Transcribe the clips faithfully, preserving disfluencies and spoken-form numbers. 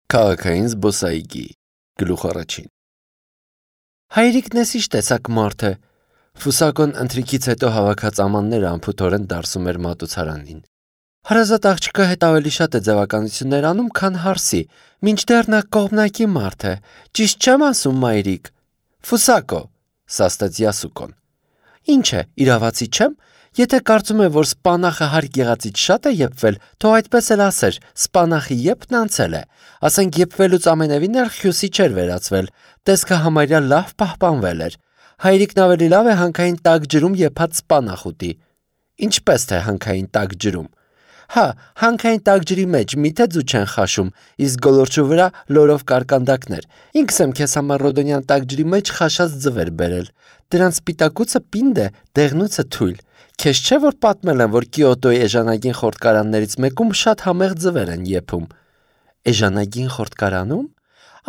Քաղաքային զբոսայգի գլուխ առաջին Հայրիկն էս ինչ տեսակ մարդ է։ Ֆուսակոն ընթրիքից հետո հավաքած ամանները անփութորեն դարսում էր մատուցարանին։ Հարազատ աղջիկը հետ ավելի շատ է ձևականություններ անում, քան հարսի, մինչդեռ նա կողմնակի մարդ է։ Ճիշտ չեմ ասում, մայրիկ։ Ֆուսակո, սաստեց Յասուկոն։ Ինչ է, իրավացի չեմ։ Եթե կարծում է, որ սպանախը հարկ եղածից շատ է եփվել, թող այդպես էլ ասեր, սպանախի եփն անցել է։ Ասենք եփվելուց ամենևին էլ խյուսի չէր վերածվել, տեսքը համարյա լավ պահպանվել էր։ Հայրիկն ավելի լավ է հանքային տաք ջրում եփած սպանախ ուտի։ Ինչպես թե հանքային տաք ջրում։ Հա, հանքային տաք ջրի մեջ միթե ձու չեն խաշում, իսկ գոլորշու վրա լորով կարկանդակներ։ Ինքս եմ քեզ համար Ռոդոնյան տաք ջրի մեջ խաշած ձվեր բերել։ Դրանց սպիտակուցը պինդ է, դեղնուցը թույլ։ Քեզ չէ որ պատմել եմ, որ Կիոտոյի էժանագին խորտկարաններից մեկում շատ համեղ ձվեր են եփում։ Էժանագին խորտկարանում։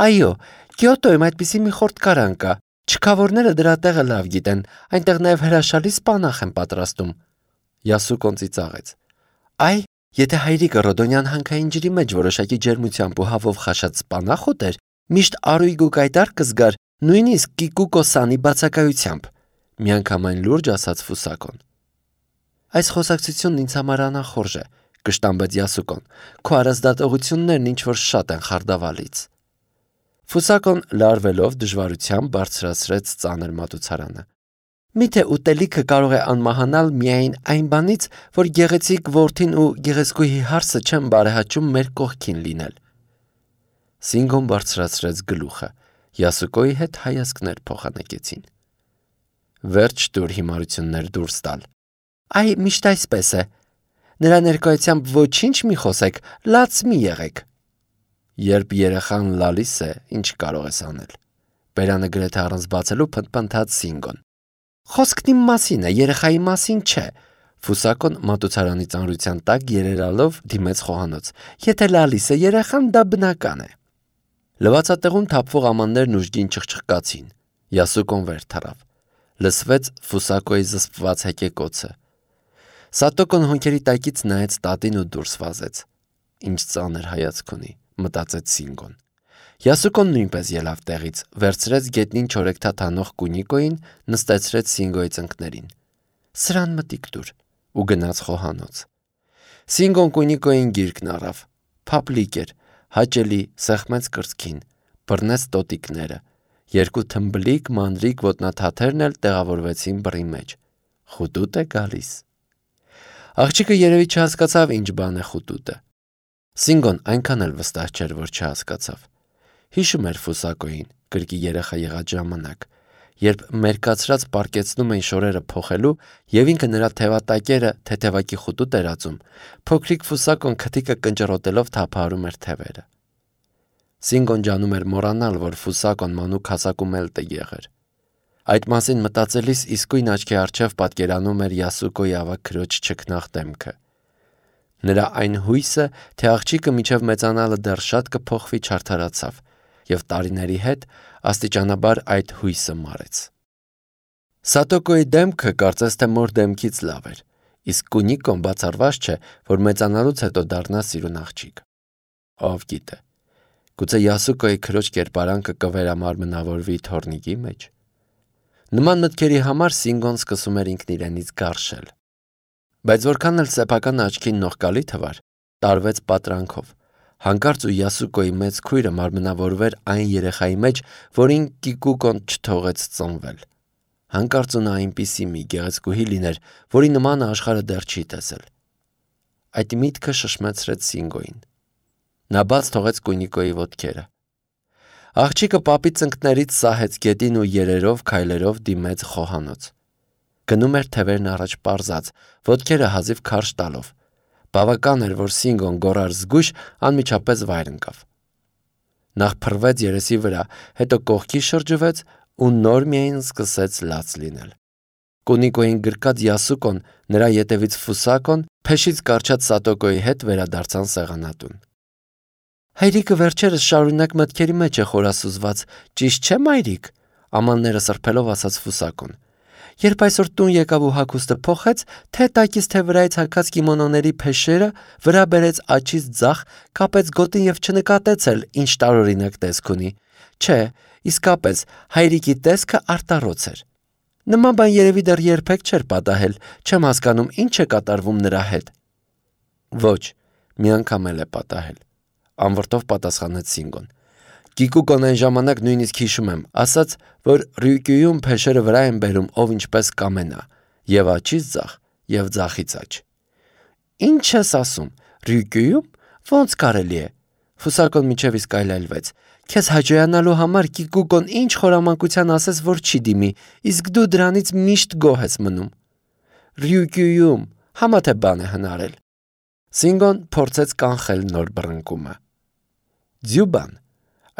Այո, Կիոտոյում այդպիսի մի խորտկարան կա։ Չքավորները դրա տեղը լավ գիտեն, այնտեղ նաև հրաշալի սպանախ են պատրաստում։ Յասուկոն ծիծաղեց։ Այ, եթե հայրիկը Ռոդոնյան հանքային ջրի մեջ որոշակի ջերմությամբ ու հավով խաշած սպանախ ուտեր, միշտ արույգ ու կայտար կզգար, նույնիսկ Կիկուկոսանի բացակայությամբ։ Միանգամայն լուրջ ասաց Ֆուսակոն։ Այս խոսակցությունն ինձ համար անախորժ է, կշտամբեց Յասուկոն։ Քո արազդատողություններն ինչ-որ շատ են խարդավալից։ Ֆուսակոն լարվելով դժվարությամբ բարձրացրեց ծանր մատուցարանը։ Միթե ուտելիքը կարող է անմահանալ միայն այն բանից, որ գեղեցիկ որդին ու գեղեցկուհի հարսը չեն բարեհաճում մեր կողքին լինել։ Սինգոն բարձրացրեց գլուխը։ Յասուկոյի հետ հայացքներ փոխանակեցին։ Վերջ տուր հիմարություններ դուրս տալ։ Այ միշտ այսպես է։ Նրա ներկայությամբ ոչինչ մի խոսեք, լաց մի եղեք։ Երբ երեխան լալիս է, ինչ կարող ես անել։ Բերանը գրեթե առանց բացելու փնթփնթաց Սինգոն։ Խոսքն իմ մասին է, երեխայի մասին չէ։ Ֆուսակոն մատուցարանի ծանրության տակ երերալով դիմեց խոհանոց։ Եթե լալիս է երեխան, դա բնական է։ Լվացատեղում թափվող ամաններն ուժգին չխչխկացին։ Յասուկոն վեր թռավ։ Լսվեց Ֆուսակոյի զսպված հեկեկոցը։ Սատոկոն հոնքերի տակից նայեց տատին ու դուրս վազեց։ Ինչ ծանր հայացք ունի, մտածեց Սինգոն։ Յասուկոն նույնպես ելավ տեղից, վերցրեց գետնին չորեքթաթ անող Կունիկոյին, նստեցրեց Սինգոյի ծնկներին։ Սրան մտիկ տուր ու գնաց խոհանոց։ Սինգոն Կունիկոյին գիրկն առավ։ Փափլիկ էր, հաճելի, սեղմեց կրծքին, բռնեց տոտիկները։ Երկու թմբլիկ մանրիկ ոտնաթաթերն էլ տեղավորվեցին բռի մեջ։ Խուտուտ է գալիս։ Աղջիկը երևի չհասկացավ ինչ բան է խուտուտը։ Սինգոն այնքան էլ վստահ չէր, որ չհասկացավ։ Հիշում էր Ֆուսակոյին, կրկի երեխա եղած ժամանակ, երբ մերկացրած պարկեցնում էին շորերը փոխելու եւ ինքը նրա թևատակերը թեթևակի խուտուտ էր ածում, փոքրիկ Ֆուսակոն քթիկը կնճռոտելով թափահարում էր թևերը։ Սինգոն ջանում էր մոռանալ, որ Ֆուսակոն մանուկ հասակում էլ տեղ էր։ Այդ մասին մտածելիս իսկույն աչքի առջև պատկերանում էր Յասուկոյի ավագ քրոջ չքնաղ դեմքը։ Նրա այն հույսը, թե աղջիկը մինչև մեծանալը դեռ շատ կփոխվի, չարդարացավ, եւ տարիների հետ աստիճանաբար այդ հույսը մարեց։ Սատոկոյի դեմքը կարծես թե մոր դեմքից լավ էր, իսկ Կունիկոն բացառված չէ, որ մեծանալուց հետո դառնա սիրուն աղջիկ։ Ով գիտե, գուցե Յասուկոյի քրոջ կերպարանքը կվերամարմնավորվի թորնիկի մեջ։ Նման մտքերի համար Սինգոն սկսում էր ինքն իրենից գարշել։ Բայց որքան էլ սեփական աչքին նողկալի թվար, տարվեց պատրանքով։ Հանկարծ ու Յասուկոյի մեծ քույրը մարմնավորվեր այն երեխայի մեջ, որին Կիկուկոն չթողեց ծնվել։ Հանկարծ ու նա այնպիսի մի գեղեցկուհի լիներ, որի նմանը աշխարհը դեռ չի տեսել։ Այդ միտքը շշմեցրեց Սինգոյին։ Նա բաց թողեց Կունիկոյի ոտքերը։ Աղջիկը պապի ծնկներից սահեց գետին ու երերով քայլերով դիմեց խոհանոց։ Գնում էր թևերն առաջ պարզած, ոտքերը հազիվ քարշ տալով։ Բավական էր, որ Սինգոն գոռար զգույշ, անմիջապես վայր ընկավ։ Նախ փռվեց երեսի վրա, հետո կողքի շրջվեց ու նոր միայն սկսեց լաց լինել։ Կունիկոյին գրկած Յասուկոն, նրա ետևից Ֆուսակոն, փեշից կառչած Սատոկոյի հետ վերադարձան սեղանատուն։ Հայրիկը վերջերս շարունակ մտքերի մեջ է խորասուզված, ճիշտ չէ՞ մայրիկ, ամանները սրբելով ասաց Ֆուսակոն։ Երբ այսօր տուն եկավ ու հագուստը փոխեց, թե տակից թե վրայից հագած կիմոնոների փեշերը վրա բերեց աջից ձախ, կապեց գոտին եւ չնկատեց էլ ինչ տարօրինակ տեսք ունի։ Չէ, իսկապես հայրիկի տեսքը արտառոց էր։ Նման բան երևի դեռ երբեք չէր պատահել, չեմ հասկանում ինչ է կատարվում նրա հետ։ Ոչ, մի անգամ էլ է պատահել, անվրդով պատասխանեց Սինգոն։ Կիկուկոն այն ժամանակ նույնիսկ հիշում եմ, ասաց, որ Ռյուկյուում փեշերը վրա են բերում ով ինչպես կամենա, եւ աջից ձախ, եւ ձախից աջ։ Ինչ ես ասում, Ռյուկյուում ո՞նց կարելի է։ Ֆուսակոն միջև իսկ այլայլվեց։ Քեզ հաջողանալու համար Կիկուկոն ինչ խորամանկության ասես, որ չի դիմի, իսկ դու դրանից միշտ գոհ ես մնում։ Ռյուկյուում համա թե բան է հնարել։ Սինգոն փորձեց կանխել նոր բռնկումը։ Ձյուբան,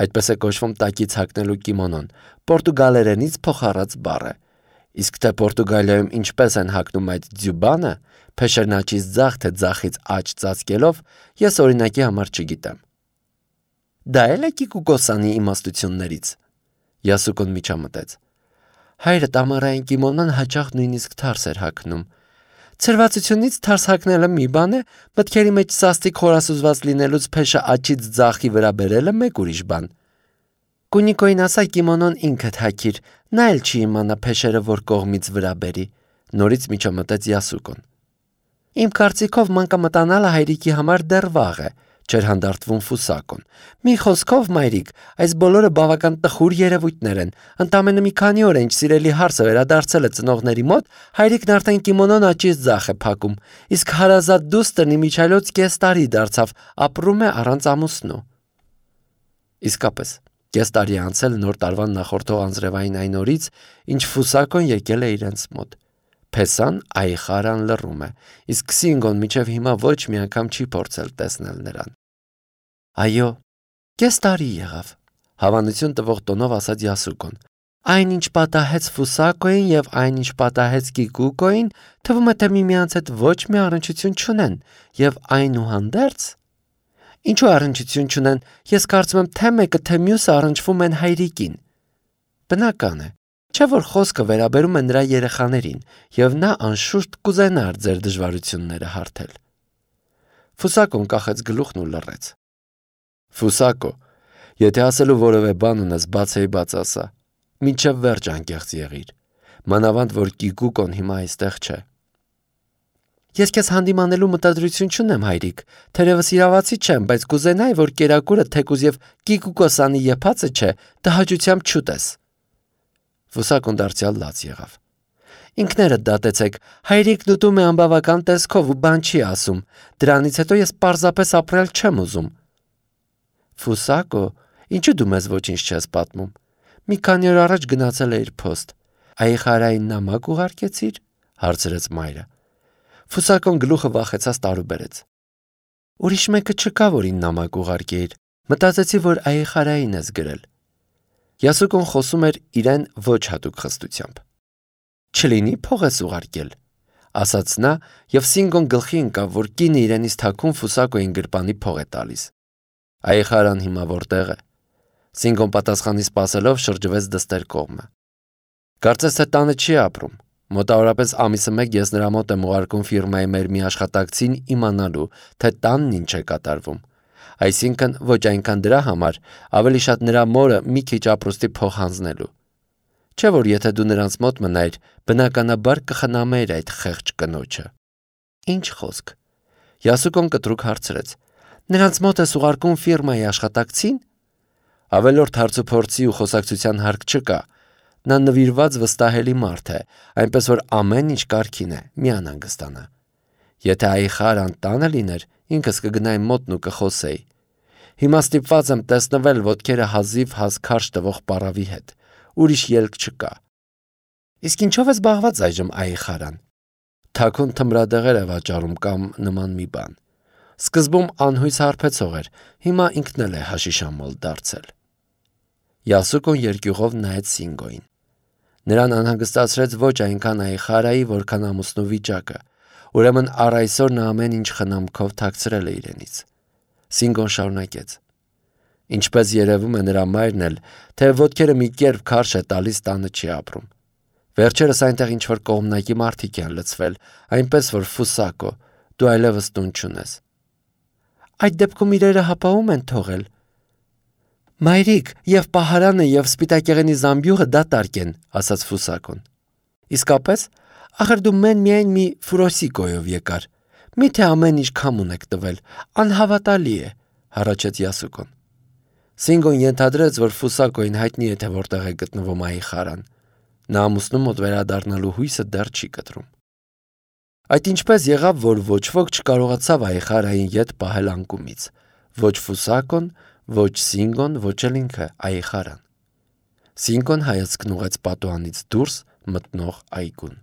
այդպես է կոչվում տակից հագնելու կիմոնոն, պորտուգալերենից փոխառած բառ է։ Իսկ թե Պորտուգալիայում ինչպես են հագնում այդ ձյուբանը, փեշերն աջից ձախ թե ձախից աջ ծածկելով, ես օրինակի համար չգիտեմ։ Դա էլ է Կիկուկոսանի իմաստություններից։ Յասուկոն միջամտեց։ Հայրդ ամառային կիմոնոն հաճախ նույնիսկ թարս էր հագնում։ Ցրվածությունից թարս հագնելը մի բան է, մտքերի մեջ սաստիկ խորասուզված լինելուց փեշը աջից ձախի վրա բերելը մեկ ուրիշ բան։ Կունիկոին ասա կիմոնոն ինքդ հագիր, նա էլ չի իմանա փեշերը որ կողմից վրա բերի։ Նորից միջամտեց Յասուկոն։ Իմ կարծիքով մանկամտանալը հայրիկի համար դեռ վաղ է, չէր հանդարտվում Ֆուսակոն։ Մի խոսքով, մայրիկ, այս բոլորը բավական տխուր երևույթներ են։ Ընդամենը մի քանի օր ինչ սիրելի հարսը վերադարձել է ծնողների մոտ, հայրիկն արդեն կիմոնոն աջից ձախ է փակում, իսկ հարազատ դուստրն իմիջայլոց կես տարի դարձավ, ապրում է առանց ամուսնու։ Իսկապես, կես տարի անցել նոր տարվան նախորդող անձրևային այն օրից, ինչ Ֆուսակոն եկել է իրենց մոտ։ Փեսան այխարան լռում է, իսկ Սինգոն միջև հիմա ոչ մի անգամ չի փորձել տեսնել նրան։ Այո, կես տարի եղավ, հավանություն տվող տոնով ասաց Յասուկոն։ Այնինչ պատահեց Ֆուսակոին եւ այնինչ պատահեց Կիկուկոին, թվում է թե միմյանց հետ ոչ մի առնչություն չունեն, եւ այնուհանդերձ Ինչու առնչություն չունեն, ես կարծում եմ թե մեկը թե մյուսը առնչվում են հայրիկին։ Բնական է, չէ որ խոսքը վերաբերում է նրա երեխաներին, եւ նա անշուշտ կուզենար ձեր դժվարությունները հարթել։ Ֆուսակոն կախեց գլուխն ու լռեց։ Ֆուսակո, եթե ասելու որևէ բան ունես, բացեի բաց ասա։ Մինչև վերջ անկեղծ եղիր։ Մանավանդ որ Կիկուկոն հիմա այստեղ չէ։ Ես քեզ հանդիմանելու մտադրություն չունեմ, հայրիկ, թերևս իրավացի չեմ, բայց կուզենայի, որ կերակուրը թեկուզ եւ Կիկուկոսանի եփածը չէ, տհաճությամբ չուտես։ Ֆուսակոն դարձյալ լաց եղավ։ Ինքներդ դատեցեք, հայրիկն ուտում է անբավական տեսքով ու բան չի ասում, դրանից հետո ես պարզապես ապրել չեմ ուզում։ Ֆուսակո, ինչու դու մեզ ոչինչ չես պատմում։ Մի քանի օր առաջ գնացել էիր փոստ։ Այխարային նամակ ուղարկեցիր, հարցրեց մայրը։ Ֆուսակոն գլուխը վախեցած տարուբերեց։ Ուրիշ մեկը չկա, որին նամակ ուղարկեիր, մտածեցի, որ այխարային ես գրել։ Յասուկոն խոսում էր իրեն ոչ հատուկ խստությամբ։ Չլինի փող ես ուղարկել, ասաց նա, եւ Սինգոն գլխի ընկավ, որ կինը իրենից թաքուն Ֆուսակոին գրպանի փող է տալիս։ Այխարան հիմա որտեղ է։ Սինգոն պատասխանի սպասելով շրջվեց դստեր կողմը։ Կարծես թե տանը չի ապրում։ Մոտավորապես ամիսը մեկ ես նրա մոտ եմ ուղարկում ֆիրմայի մեր մի աշխատակցին իմանալու, թե տանն ինչ է կատարվում։ Այսինքն ոչ այնքան դրա համար, ավելի շատ նրա մորը մի քիչ ապրուստի փող հանձնելու։ Չէ որ եթե դու նրանց մոտ մնայիր, բնականաբար կխնամեիր այդ խեղճ կնոջը։ Ինչ խոսք։ Յասուկոն կտրուկ հարցրեց. Նրանց մոտ ես ուղարկում ֆիրմայի աշխատակցին։ Ավելորդ հարցուփորձի ու խոսակցության հարկ չկա։ Նա նվիրված վստահելի մարդ է, այնպես որ ամեն ինչ կարգին է, մի անհանգստանա։ Եթե այխարան տանը լիներ, ինքս կգնայի մոտն ու կխոսեի։ Հիմա ստիպված եմ տեսնվել ոտքերը հազիվ հազ քարշ տվող պարավի հետ։ Ուրիշ ելք չկա։ Իսկ ինչով է զբաղված այժմ այխարան։ Թաքուն թմրադեղեր է վաճառում կամ նման մի բան։ Սկզբում անհույս հարբեցող էր, հիմա ինքն էլ է հաշիշամոլ դարձել։ Յասուկոն երկյուղով նայեց Սինգոին։ Նրան անհանգստացրեց ոչ այնքան այխարայի, որքան ամուսնու վիճակը, ուրեմն առ այսօր նա ամեն ինչ խնամքով թաքցրել է իրենից։ Սինգոն շարունակեց. Ինչպես երևում է նրա մայրն էլ, թե ոտքերը մի կերպ քարշ է տալիս տանը չի ապրում։ Վերջերս այնտեղ ինչ-որ կողմնակի մարդիկ են լցվել, այնպես որ Ֆուսակո, դու այլևս տուն չունես։ Այդ դեպքում իրերը հապաղում են թողել։ Մայրիկ, եւ պահարանը եւ սպիտակեղենի զամբյուղը դատարկ են, ասաց Ֆուսակոն։ Իսկապես, ախր դու մեն միայն մի Ֆուրոսիկոյով եկար։ Միթե ամեն ինչ քամուն եք տվել, անհավատալի է, հառաչեց Յասուկոն։ Սինգոն ենթադրեց, որ Ֆուսակոին հայտնի է, թե որտեղ է գտնվում Այխարան։ Նա ամուսնու մոտ վերադառնալու հույսը դեռ չի կտրում։ Այդ ինչպես եղավ, որ ոչ ոք չկարողացավ Այխարային ետ պահել անկումից։ Ոչ Ֆուսակոն, ոչ Սինգոն, ոչ էլ ինքը Այխարան։ Սինգոն հայացքն ուղեց պատուհանից դուրս մտնող այգուն։